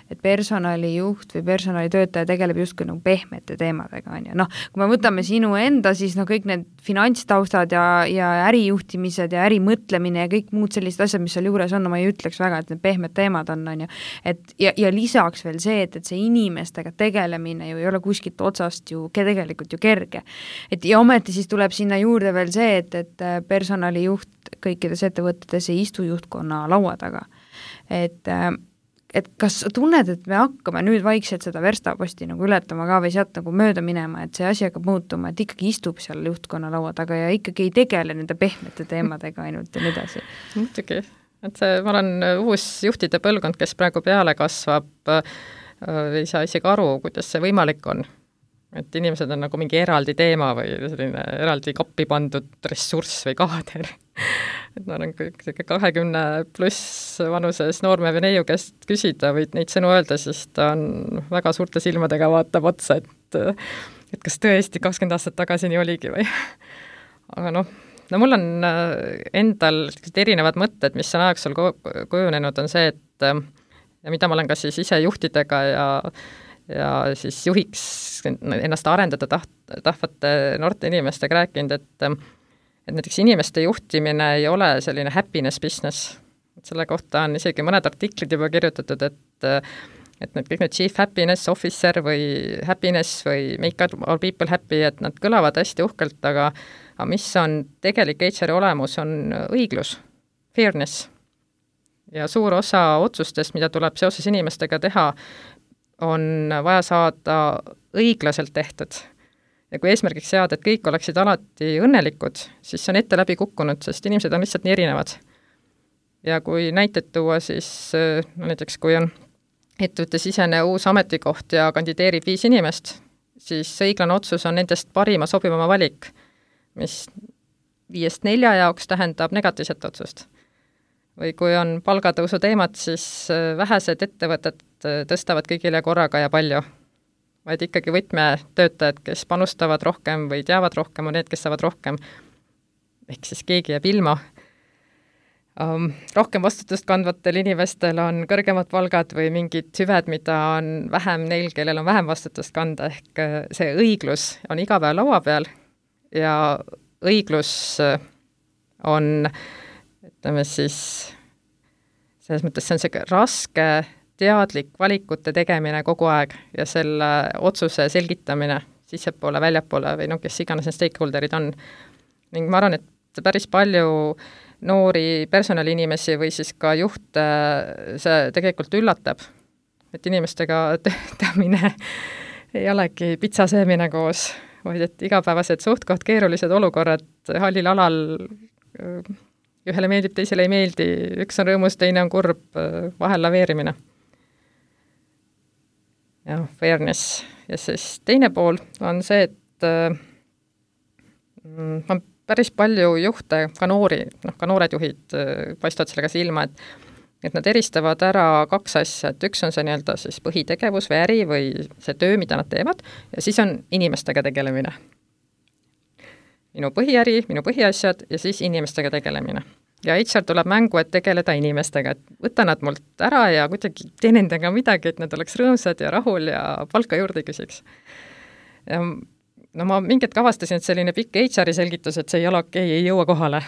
Speaker 2: et personalijuht või personalitöötaja tegeleb justkui nagu pehmete teemadega. On ja. Noh, kui me võtame sinu enda, siis no kõik need finantstaustad ja, ja ärijuhtimised ja ärimõtlemine ja kõik muud sellised asjad, mis seal juures on, no ma ei ütleks väga, et need pehmed teemad on, on ja. Et, ja, ja lisaks veel see, et, et see inimestega tegelemine ju ei ole kuskilt otsast ju tegelikult ju kerge. Et ja ometi siis tuleb sinna juurde veel see, et et personalijuht kõikides ettevõtetes ei istu juhtkonna laua taga. Et, et kas tunned, et me hakkame nüüd vaikselt seda verstaposti nagu ületama ka või sealt nagu mööda minema, et see asi hakkab muutuma, et ikkagi istub seal juhtkonna laua taga ja ikkagi ei tegele nende pehmete teemadega ainult ja nii edasi?
Speaker 3: Muidugi, et see, ma olen uus juhtide põlvkond, kes praegu peale kasvab, ei saa isegi aru, kuidas see võimalik on. Et inimesed on nagu mingi eraldi teema või selline eraldi kappi pandud ressurss või kaader. Et ma olen kahekümne pluss vanuses noorme või neiu käest küsida või neid sõnu öelda, siis ta on väga suurte silmadega vaatab otsa, et, et kas tõesti kakskümmend aastat tagasi nii oligi või. Aga noh, no mul on endal erinevad mõtted, mis on ajaksul kujunenud, on see, et ja mida ma olen ka siis ise juhtidega ja ja siis juhiks ennast arendada taht, tahvate noorte inimestega rääkinud, et, et näiteks inimeste juhtimine ei ole selline happiness business. Et selle kohta on isegi mõned artiklid juba kirjutatud, et, et need kõik need chief happiness officer või happiness või make all people happy, et nad kõlavad hästi uhkelt, aga, aga mis on tegelik H R olemus, on õiglus, fairness. Ja suur osa otsustest, mida tuleb seoses inimestega teha, on vaja saada õiglaselt tehtud. Ja kui eesmärgiks seada, et kõik oleksid alati õnnelikud, siis see on ette läbi kukkunud, sest inimesed on lihtsalt nii erinevad. Ja kui näited tuua, siis no näiteks kui on ettevõttesisene uus ametikoht ja kandideerib viis inimest, siis õiglane otsus on nendest parima sobivama valik, mis viiest nelja jaoks tähendab negatiivset otsust. või kui on palgatõusu teemad, siis vähesed ettevõtted tõstavad kõigile korraga ja palju, vaid ikkagi võtmetöötajad, kes panustavad rohkem või teavad rohkem, on need, kes saavad rohkem, ehk siis keegi jääb ilma. Um, rohkem vastutust kandvatel inimestel on kõrgemad palgad või mingid hüved, mida on vähem neil, kellel on vähem vastutust kanda, ehk see õiglus on iga päev laua peal ja õiglus on, ütleme siis, selles mõttes see on see raske, teadlik valikute tegemine kogu aeg ja selle otsuse selgitamine sissepoole, väljapoole või noh, kes iganes need stakeholderid on. Ning ma arvan, et päris palju noori personaliinimesi või siis ka juhte see tegelikult üllatab, et inimestega töötamine ei olegi pitsa söömine koos, vaid et igapäevased suhtkoht keerulised olukorrad hallil alal, ühele meeldib, teisele ei meeldi, üks on rõõmus, teine on kurb, vahel laveerimine. Ja fairness. Ja siis teine pool on see, et mm, on päris palju juhte, ka noori, noh, ka noored juhid paistavad sellega silma, et, et nad eristavad ära kaks asja, et üks on see nii-öelda siis põhitegevus või äri või see töö, mida nad teevad, ja siis on inimestega tegelemine. Minu põhiäri, minu põhiasjad ja siis inimestega tegelemine. Ja H R tuleb mängu, et tegeleda inimestega, et võta nad mult ära ja kuidagi tee nendega midagi, et nad oleks rõõmsad ja rahul ja palka juurde küsiks. Ja no ma mingit kavastasin, et selline pikk H R-i selgitus, et see ei ole okei, ei jõua kohale.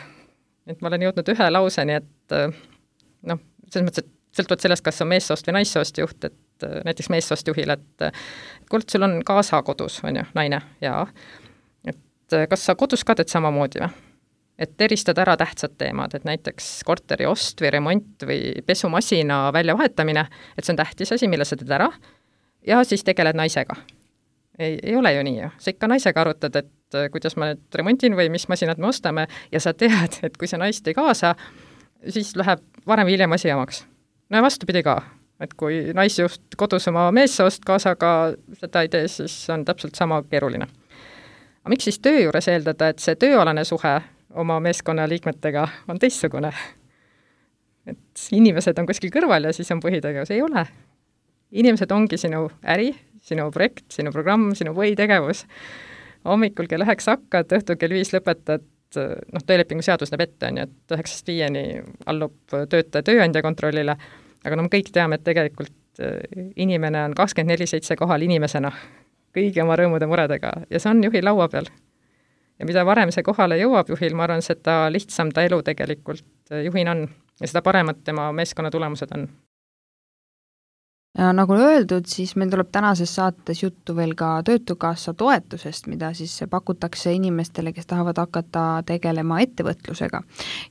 Speaker 3: Et ma olen jõudnud ühe lauseni, et noh, selles mõttes, et sõltuvalt sellest, kas on meessoost või naissoost juht, et näiteks meessoost juhil, et kuld sul on kaasa kodus, on ju, naine, ja et kas sa kodus ka teed samamoodi või? Et eristad ära tähtsad teemad, et näiteks korteri ost või remont või pesumasina väljavahetamine, et see on tähtis asi, mille sa teed ära, ja siis tegeled naisega. Ei, ei ole ju nii ju. Sa ikka naisega arutad, et kuidas ma nüüd remontin või mis masinad me ostame ja sa tead, et kui sa naist ei kaasa, siis läheb varem või hiljem asi jamaks. No ja vastupidi ka, et kui naisjuht kodus oma meessoost kaasaga seda ei tee, siis on täpselt sama keeruline. Aga miks siis töö juures eeldada, et see tööalane suhe oma meeskonna liikmetega on teistsugune? Et inimesed on kuskil kõrval ja siis on põhitegevus. Ei ole. Inimesed ongi sinu äri, sinu projekt, sinu programm, sinu põhitegevus. Hommikul kell üheksa hakkad, õhtul kell viis lõpetad, noh, töölepingu seadus näeb ette, on ju, et üheksast viieni allub töötaja tööandja kontrollile, aga no me kõik teame, et tegelikult inimene on kakskümmend neli seitse kohal inimesena, kõigi oma rõõmude muredega ja see on juhi laua peal. Ja mida varem see kohale jõuab juhil, ma arvan, seda lihtsam ta elu tegelikult juhin on ja seda paremad tema meeskonna tulemused on.
Speaker 2: Ja nagu öeldud, siis meil tuleb tänases saates juttu veel ka Töötukassa toetusest, mida siis pakutakse inimestele, kes tahavad hakata tegelema ettevõtlusega.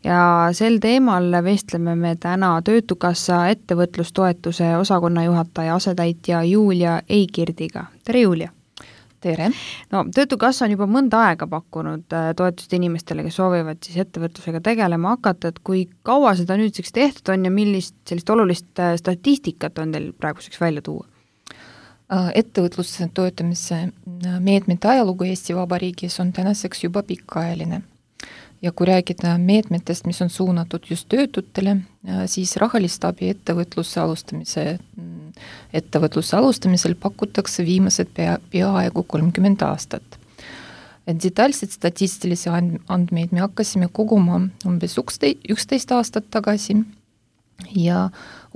Speaker 2: Ja sel teemal vestleme me täna Töötukassa ettevõtlustoetuse osakonna juhataja asetäitja Julia Eikirdiga. Tere, Julia!
Speaker 4: Tere!
Speaker 2: No, Töötukassa on juba mõnda aega pakkunud toetust inimestele, kes soovivad siis ettevõtlusega tegelema hakata, et kui kaua seda nüüdseks tehtud on ja millist sellist olulist statistikat on teil praeguseks välja tuua?
Speaker 4: Ettevõtluse toetamise meetmete ajalugu Eesti Vabariigis on tänaseks juba pikaajaline. Ja kui räägida meetmetest, mis on suunatud just töötutele, siis rahalist abi ettevõtluse alustamise, ettevõtluse alustamisel pakutakse viimased pea, peaaegu kolmkümmend aastat. Detailsed statistilisi andmeid me hakkasime koguma umbes üksteist aastat tagasi ja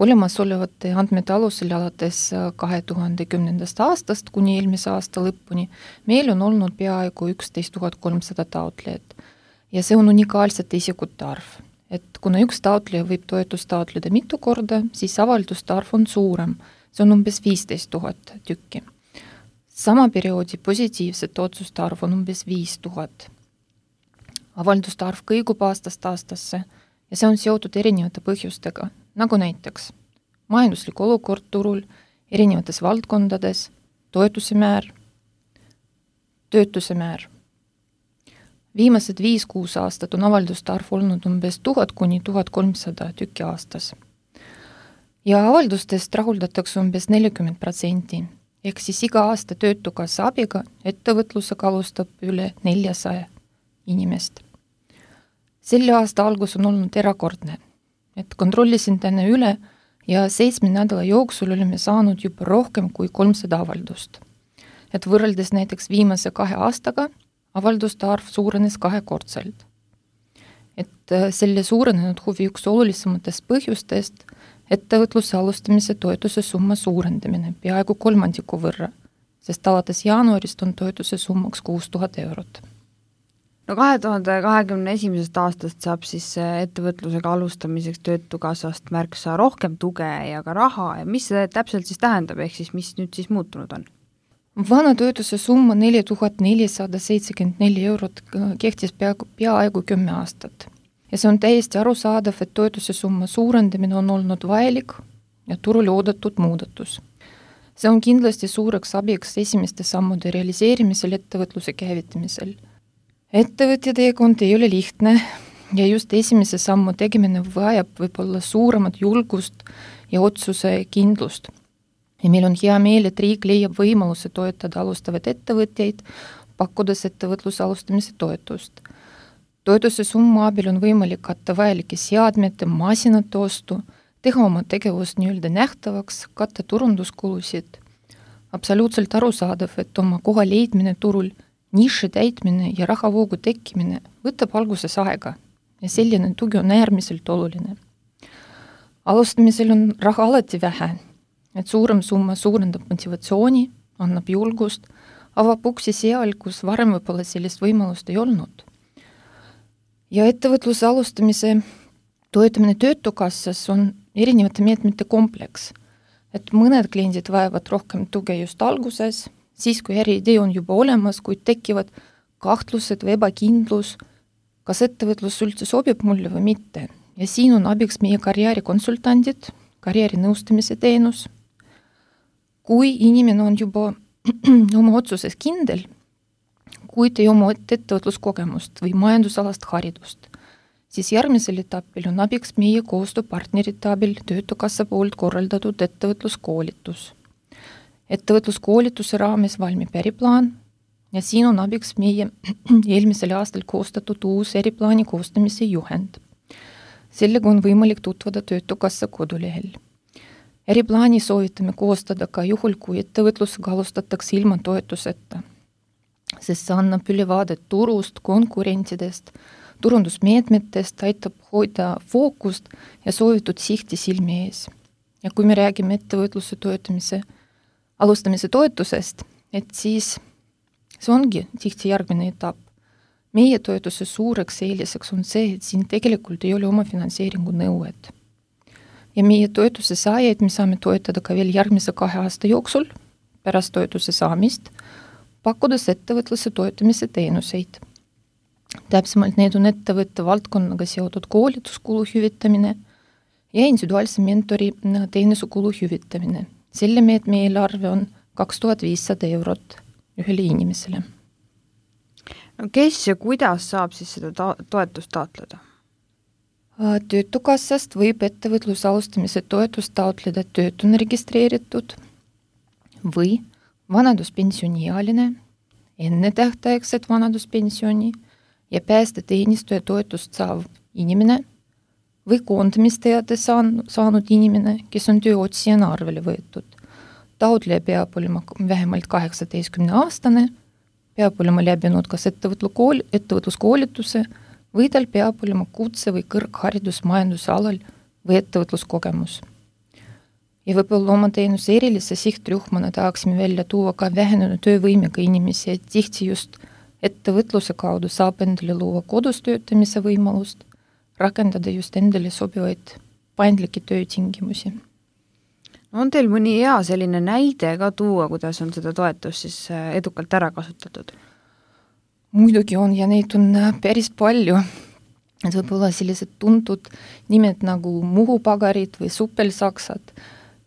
Speaker 4: olemasolevate andmete alusel alates kahe tuhande kümnendast aastast kuni eelmise aasta lõpuni meil on olnud peaaegu üksteist tuhat kolmsada taotlejat. Ja see on unikaalsete isikute arv. Et kuna üks taotleja võib toetust taotleda mitu korda, siis avalduste arv on suurem. See on umbes viisteist tuhat tükki. Sama perioodi positiivsete otsuste arv on umbes viis tuhat. Avalduste arv kõigub aastast aastasse ja see on seotud erinevate põhjustega, nagu näiteks majanduslik olukord turul, erinevates valdkondades, toetuse määr, töötuse määr. Viimased viis-kuus aastat on avalduste arv olnud umbes tuhat kuni tuhat kolmsada tükki aastas. Ja avaldustest rahuldatakse umbes nelikümmend protsenti, ehk siis iga aasta Töötukassa abiga ettevõtlusega alustab üle neljasaja inimest. Selle aasta algus on olnud erakordne. et kontrollisin täna üle ja seitsme nädala jooksul olime saanud juba rohkem kui kolmsada avaldust. Et võrreldes näiteks viimase kahe aastaga avalduste arv suurenes kahekordselt. Et selle suurenenud huvi üks olulisematest põhjustest ettevõtluse alustamise toetuse summa suurendamine peaaegu kolmandiku võrra, sest alates jaanuarist on toetuse summaks kuus tuhat eurot.
Speaker 2: No kahe tuhande kahekümne esimesest aastast saab siis ettevõtlusega alustamiseks Töötukassast märksa rohkem tuge ja ka raha ja mis see täpselt siis tähendab, ehk siis mis nüüd siis muutunud on?
Speaker 4: Vana toetuse summa neli tuhat nelisada seitsekümmend neli eurot kehtis peaaegu, peaaegu kümme aastat. Ja see on täiesti arusaadav, et toetuse summa suurendamine on olnud vajalik ja turul oodatud muudatus. See on kindlasti suureks abiks esimeste sammude realiseerimisel ettevõtluse käivitamisel. Ettevõtja teekond ei ole lihtne ja just esimese sammu tegemine vajab võib-olla suuremat julgust ja otsuse kindlust. Ja meil on hea meel, et riik leiab võimaluse toetada alustavaid ettevõtjaid, pakkudes ettevõtluse alustamise toetust. Toetuse summa abil on võimalik katta vajalike seadmete, masinate ostu, teha oma tegevust nii-öelda nähtavaks, katta turunduskulusid. Absoluutselt arusaadav, et oma koha leidmine turul, niši täitmine ja rahavoogu tekkimine võtab alguses aega ja selline tugi on äärmiselt oluline. Alustamisel on raha alati vähe, et suurem summa suurendab motivatsiooni, annab julgust, avab uksi seal, kus varem võib-olla sellist võimalust ei olnud. Ja ettevõtluse alustamise toetamine Töötukassas on erinevate meetmete kompleks, et mõned kliendid vajavad rohkem tuge just alguses, siis kui äriidee on juba olemas, kuid tekivad kahtlused või ebakindlus, kas ettevõtlus üldse sobib mulle või mitte. Ja siin on abiks meie karjäärikonsultandid, karjäärinõustamise teenus. Kui inimene on juba oma otsuses kindel, kuid ei oma ettevõtluskogemust või majandusalast haridust, siis järgmisel etapil on abiks meie koostööpartnerite abil Töötukassa poolt korraldatud ettevõtluskoolitus. Ettevõtluskoolituse raames valmib äriplaan ja siin on abiks meie eelmisel aastal koostatud uus äriplaani koostamise juhend. Sellega on võimalik tutvuda Töötukassa kodulehel. Äriplaani soovitame koostada ka juhul, kui ettevõtlusega alustatakse ilma toetuseta, sest see annab ülevaadet turust, konkurentidest, turundusmeetmetest, aitab hoida fookust ja soovitud sihti silmi ees. Ja kui me räägime ettevõtluse toetamise, alustamise toetusest, et siis see ongi tihti järgmine etapp. Meie toetuse suureks eeliseks on see, et siin tegelikult ei ole oma finantseeringu nõuet. Ja meie toetuse saajaid me saame toetada ka veel järgmise kahe aasta jooksul pärast toetuse saamist, pakkudes ettevõtluse toetamise teenuseid. Täpsemalt need on ettevõtte valdkonnaga seotud koolituskulu hüvitamine ja individuaalse mentori teenusekulu hüvitamine. Selle meetme eelarve on kaks tuhat viissada eurot ühele inimesele.
Speaker 2: No kes ja kuidas saab siis seda ta- toetust taotleda?
Speaker 4: Töötukassast võib ettevõtluse alustamise toetust taotleda töötuna registreeritud või vanaduspensioniealine, enne tähtaegset vanaduspensioni ja päästeteenistuja toetust saav inimene või koondamisteade saan, saanud inimene, kes on tööotsijana arvele võetud. Taotleja peab olema vähemalt kaheksateistkümne aastane, peab olema läbinud kas ettevõtluskoolituse või tal peab olema kutse või kõrgharidus majanduse alal või ettevõtluskogemus. Ja võib-olla oma teenuse erilise sihtrühmana tahaksime välja tuua ka vähenenud töövõimega inimesi, et tihti just ettevõtluse kaudu saab endale luua kodus töötamise võimalust, rakendada just endale sobivaid paindlikke töötingimusi.
Speaker 2: On teil mõni hea selline näide ka tuua, kuidas on seda toetust siis edukalt ära kasutatud?
Speaker 4: Muidugi on ja neid on päris palju. Et võib-olla sellised tuntud nimed nagu muhupagarid või supelsaksad.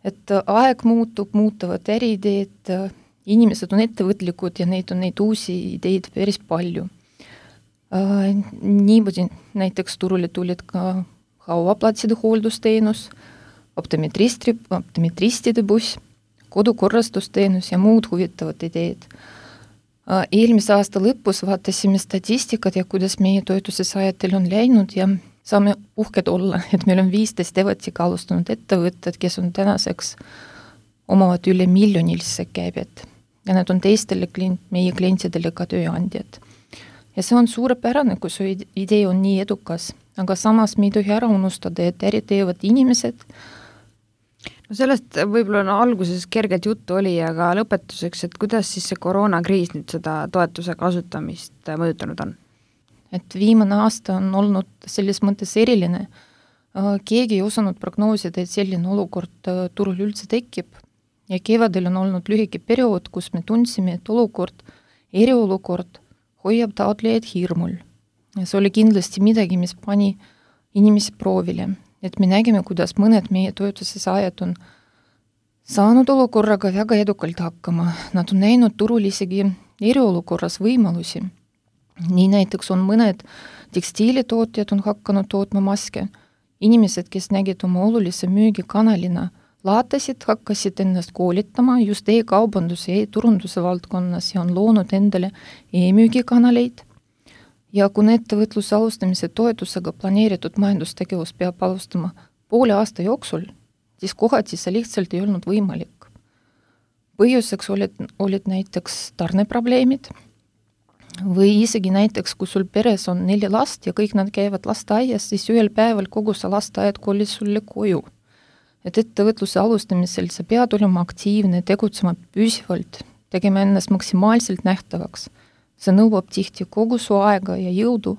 Speaker 4: Et aeg muutub, muutuvad äriideed, inimesed on ettevõtlikud ja neid on neid uusi ideid päris palju. Niimoodi näiteks turule tulid ka hauaplatside hooldusteenus, optometristri, optometristide buss, kodukorrastusteenus ja muud huvitavad ideed. Eelmise aasta lõpus vaatasime statistikat ja kuidas meie toetuse saajatel on läinud ja saame uhked olla, et meil on viisteist Evatiga alustanud ettevõtted, kes on tänaseks, omavad üle miljonilise käibet ja need on teistele klient, meie klientidele ka tööandjad. Ja see on suurepärane, kui su idee on nii edukas, aga samas me ei tohi ära unustada, et äri teevad inimesed.
Speaker 2: No sellest võib-olla no, alguses kergelt juttu oli, aga lõpetuseks, et kuidas siis see koroonakriis nüüd seda toetuse kasutamist mõjutanud on?
Speaker 4: Et viimane aasta on olnud selles mõttes eriline. Keegi ei osanud prognoosida, et selline olukord turul üldse tekib ja kevadel on olnud lühike periood, kus me tundsime, et olukord, eriolukord hoiab taotlejaid hirmul. Ja see oli kindlasti midagi, mis pani inimesi proovile, et me nägime, kuidas mõned meie toetuse saajad on saanud olukorraga väga edukalt hakkama. Nad on näinud turul isegi eriolukorras võimalusi. Nii näiteks on mõned tekstiilitootjad on hakanud tootma maske. Inimesed, kes nägid oma olulise müügikanalina, laatasid, hakkasid ennast koolitama just e-kaubanduse ja e-turunduse valdkonnas ja on loonud endale e-müügikanaleid. Ja kun ettevõtluse alustamise toetusega planeeritud majandustegevus peab alustama poole aasta jooksul, siis kohati see lihtsalt ei olnud võimalik. Põhjuseks olid, olid näiteks tarneprobleemid või isegi näiteks, kui sul peres on neli last ja kõik nad käivad lasteaias, siis ühel päeval kogu see lasteaiad kolis sulle koju. Et ettevõtluse alustamisel sa pead olema aktiivne, tegutsema püsivalt, tegema ennast maksimaalselt nähtavaks. See nõuab tihti kogu su aega ja jõudu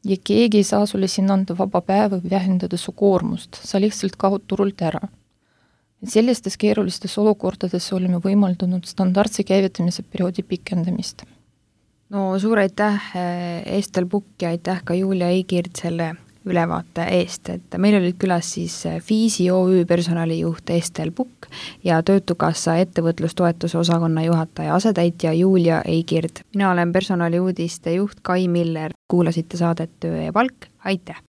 Speaker 4: ja keegi ei saa sulle siin anda vaba päeva või vähendada su koormust, sa lihtsalt kaod turult ära. Et sellistes keerulistes olukordades oleme võimaldanud standardse käivitamise perioodi pikendamist.
Speaker 2: No suur aitäh Estel Pukk ja aitäh ka Julia Eigird selle ülevaate eest, et meil olid külas siis Fiisi O Ü personalijuht Estel Pukk ja Töötukassa ettevõtlustoetuse osakonna juhataja asetäitja Julia Eigird. Mina olen personaliuudiste juht Kai Miller, kuulasite saadet Töö ja palk, aitäh!